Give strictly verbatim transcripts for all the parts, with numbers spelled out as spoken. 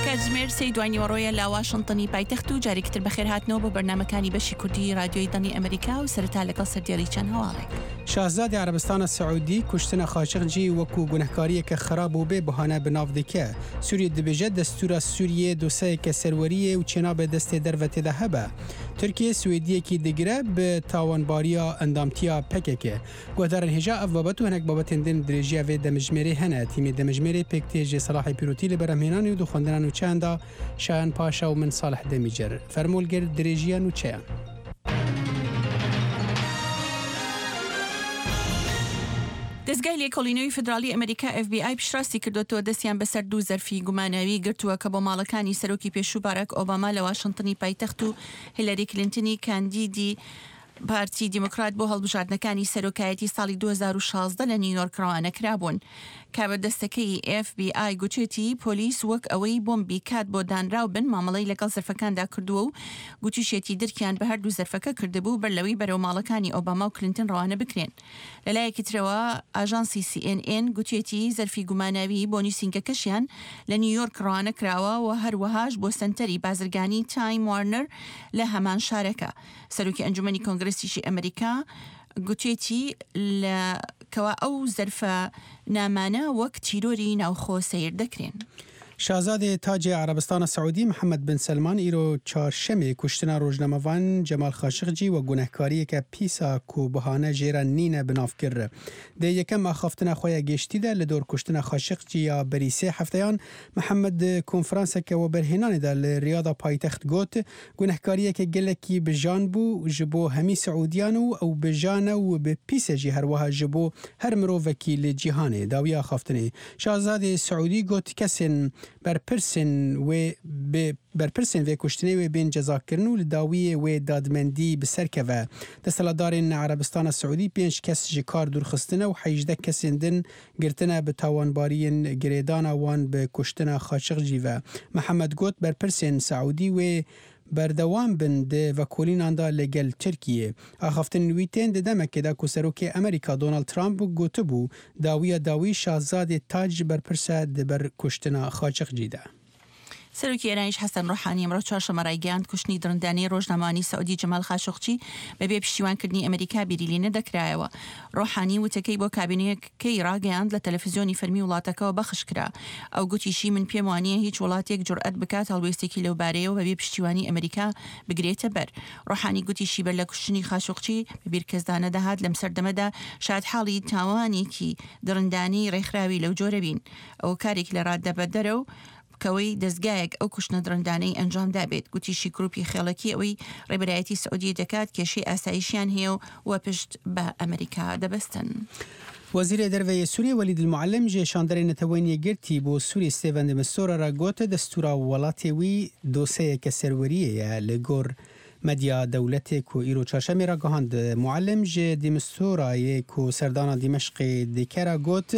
کاتژمێر سێی دوانیوەڕۆیە لە واشنتنی پایتەخت و جارێکی تر بەخێرهاتنەوە بۆ بەرنامەکانی بەشی کوردی رادیۆی دەنگی ئەمریکا و سەرەتا لەگەڵ سەردێڕی چەند هەواڵێک. شازادی عەرەبستانە سعودی کوشتنە خاشقجی وەکو گونەهکاریەکە خراپ و بێ بەهانە بناو دکە. سوریە دبێژە دەستورا سوریە دۆسەیەکە سەروەریە و چێنابێ دەستێ دەرڤە تێدا هەبە. تورکیە سوێدیەکی دگرە بە تاوانباریە ئەندامتیا پەکەکە. گوهدارن هێژا ئەف بابەت و هەنێک بابەتێن دن درێژیە وێ دەمژمێرێ هەنە. تیمێ دەمژمێرێ پێک تێ سەلاحی پیرۆتی لە بەرهەمهێنانی و دوخوەندنان و چەندا شایان پاشا و من ساڵح دەمیجەر. فەرمۆلگر درێژیە نوچەیان. دەزگای لێکۆڵینەوەی فیدراڵی ئەمریکا ئێف بی ئای پشتڕاستی کردوەتەوە دەستیان بەسەر دوو زەرفی گوماناوی گرتووە کە بۆ ماڵەکانی سەرۆکی پێشوو باراک ئۆباما لە واشنتنی پایتەخت و هیلاری کلینتنی کاندیدی پارتی دیموکرات بۆ هەڵبژاردنەکانی سەرۆکایەتی ساڵی دوو هەزار و شازدە لە نیویۆرک ڕەوانە کرابوون. کاربەدەستەکەی ئێف بی ئای گوتێتی پۆلیس وەک ئەوەی بۆمبی کات بۆ دانراو بن مامەڵەی لەگەڵ زەرفەکاندا کردووە و گوتیشێتی درکیان بە هەردوو زەرفەکە کردبوو بەر لەوەی بەرەو ماڵەکانی ئۆباما و کلینتن ڕەوانە بکرێن. لەلایەکی ترەوە ئاژانسی سی ئێن ئێن گوتێتی زەرفی گوماناوی بۆ نووسینگەکەشیان لە نیویۆرک ڕەوانە کراوە و هەروەهاش بۆ سەنتەری بازرگانی تایم وارنەر لە هەمان شارەکە. سەرۆکی ئەنجومەنی کۆنگرسیشی ئەمریکا گوتێتی لە کەوا ئەو زەرفە نامانە وەک تیرۆری ناوخۆ سەیر دەکرێن. شازادێ تاجێ عەرەبستانە سعودی محەممەد بن سەلمان ئیرۆ چارشەمێ کوشتنە ڕۆژنامەڤان جەمال خاشقجی و گونەهکاریەکە پیسا کو بەهانە ژێرە نینە بناو کرد. دێ یەکەم ئاخافتنە خۆیە گەشتیدا لە دۆر کوشتنە خاشقجی یا بەری سێ هەفتەیان محەممەد کۆنفرانسێکە وەبەرهێنانیدا لە ریاضا پایتەخت گوت گونەهکاریەکە gelekî بژان بوو ji bo hemî Siûdiyan û ew bijane û bi pîse jî herwiha ji bo her mirovekî li cîhanê dawiya axaftinê. Şazadê Siûdî got kesên berpirsên wê bi berpirsên vê kuştinê wê bên cezakirin û li dawiyê wê dadmendî bi ser keve. Desthilatdarên Erebistana Siûdî pênc kes ji kar dûrxistine û hejdeh kesên din girtine bi tawanbariyên girêdana wan bi kuştina Xaşiqcî ve. Mihemed got berpirsên Siûdî wê berdewam bin di vekolînan da li gel Tirkiyê. Axaftinên wî tên di demekê de ku Serokê Amerîka Donald Trump gotibû dawiya dawî şazadê tac berpirse di ber kuştina Xaşiqcî de. سەرۆکی ئێرانیش حەسەن ڕۆحانی ئەمڕۆ چوارشەممە ڕایگەیاند کوشتنی دڕندانەی ڕۆژنامەوانی سعودی جەمال خاشقچی بەبێ پشتیوانکردنی ئەمریکا بیری لێ نەدەکرایەوە. ڕۆحانی وتەکەی بۆ کابینەکەی ڕاگەیاند لە تەلەفزیۆنی فەرمی وڵاتەکەوە بەخش کرا. ئەو گوتیشی من پێم وانییە هیچ وڵاتێک جورئەت بکات هەڵوێستێکی لەو بارەیەوە بەبێ پشتیوانی ئەمریکا بگرێتە بەر. ڕۆحانی گوتیشی بەر لە کوشتنی خاشقچی بەبیر کەسدا نەدەهات لەم سەردەمەدا شادحاڵی تاوانێکی دڕندانەی ڕێکخراوی لەو جۆرە بین. ئەو کارێک لە ڕادەبەدەرە و کەوەی دەستگایەک ئەو کوشتنە دڕندانەی ئەنجام دابێت. گوتیشی گروپی خێڵەکی ئەوەی ڕێبەرایەتی سعودیە دەکات کێشەی ئاسایشیان هەیە و پشت بە ئەمریکا دەبەستن. وەزیرê Derveyê Sûriyê Welîd El-Muallim ji şanderê Neteweyên Yekgirtî bo Sûriyê Stêven de Mistura re got destûra welatê wî doseyeke serweriyê ye li gor medya dewletê ku îro çarşemê ragihand. Muallim ji de Misturayê ku serdana Dîmeşqê dike re got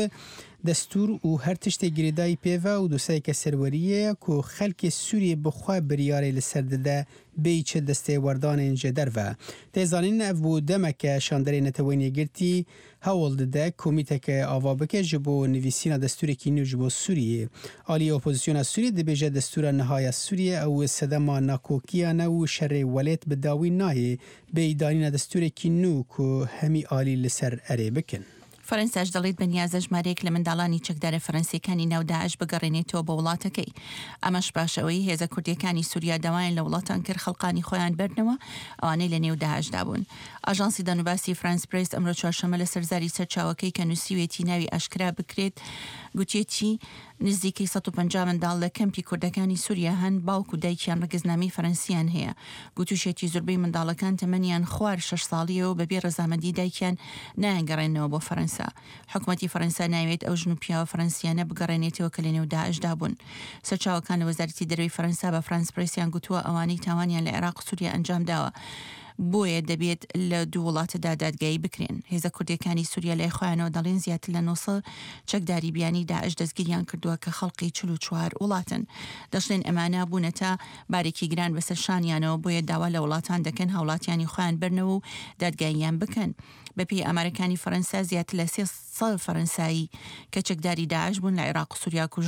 destûr û her tiştê girêdayî pêve û doseyeke serweriyê ye ku xelkê Sûriyê bi xwe biryarê li ser dide bêyî çi destê werdanên ji derve. Tê zanîn ev bû demeke şanderê Neteweyên Yekgirtî hewl dide komîteke ava bike ji bo nivîsîna destûrekî nû ji bo Sûriyê. Aliyê opozisyona Sûriyê dibêje destûra nihaya Sûriyê ew sedema nakokiya ne û şerê welêt bi dawî nayê bêyî danîna destûrekî nû ku hemî alî li ser erê bikin. فەرەنساش دەڵێت بەنیازە ژمارەیەک لە منداڵانی چەکدارە فەرەنسیەکانی ناو داعش بگەڕێنێتەوە بۆ وڵاتەکەی. ئەمەش پاش ئەوەی هێزە کوردیەکانی سووریا داوایان لە وڵاتان کرد خەڵقانی خۆیان بەرنەوە ئەوانەی لە نێو داعشدا بوون. ئاژانسی دەنوباسی فرانس پرێس ئەمڕۆ چوارشەممە لەسەر زاری سەرچاوەکەی کە نووسیوێتی ناوی ئاشکرا بکرێت گوتێتی نزیکەی سەد و پەنجا منداڵ لە کەمپی کوردەکانی سووریا هەن باوک و دایکیان ڕەگەزنامەی فەرەنسیان هەیە. گوتوشێتی زۆربەی منداڵەکان تەمەنیان خوار شەش ساڵیەوە بەبێ ڕەزامەندی دایکیان نایانگەڕێنەوە بۆ فەرەنسا. حکوومەتی فەرەنسا ناوێت ئەو ژن و پیاوە فەرەنسیانە بگەڕێنێتەوە کە لەنێو داعشدا بوون. سەرچاوەکان لە وەزارەتی دەرەوەی فەرەنسا بە فرانس پرێسیان گوتووە ئەوانەی تاوانیان لە عێراق و سووریا ئەنجام داوە بۆیە دەبێت لە دوو وڵاتەدا دادگایی بکرێن. هێزە کوردیەکانی سووریا لای خۆیانەوە دەڵێن زیاتر لە نۆسەد چەکداری بیانی داعش دەستگیریان کردووە کە خەڵقی چل و چوار وڵاتن. دەشڵێن ئەمانە بوونەتە بارێکی گران بەسەر شانیانەوە بۆیە داوا لە وڵاتان دەکەن هاوڵاتیانی خۆیان بەرنەوە و دادگاییان بکەن. بەپێی ئامارەکانی فەرەنسا زیاتر لە سێ سەد فەرەنسایی کە چەکداری داعش بوون لە عێراق و سووریا کوژ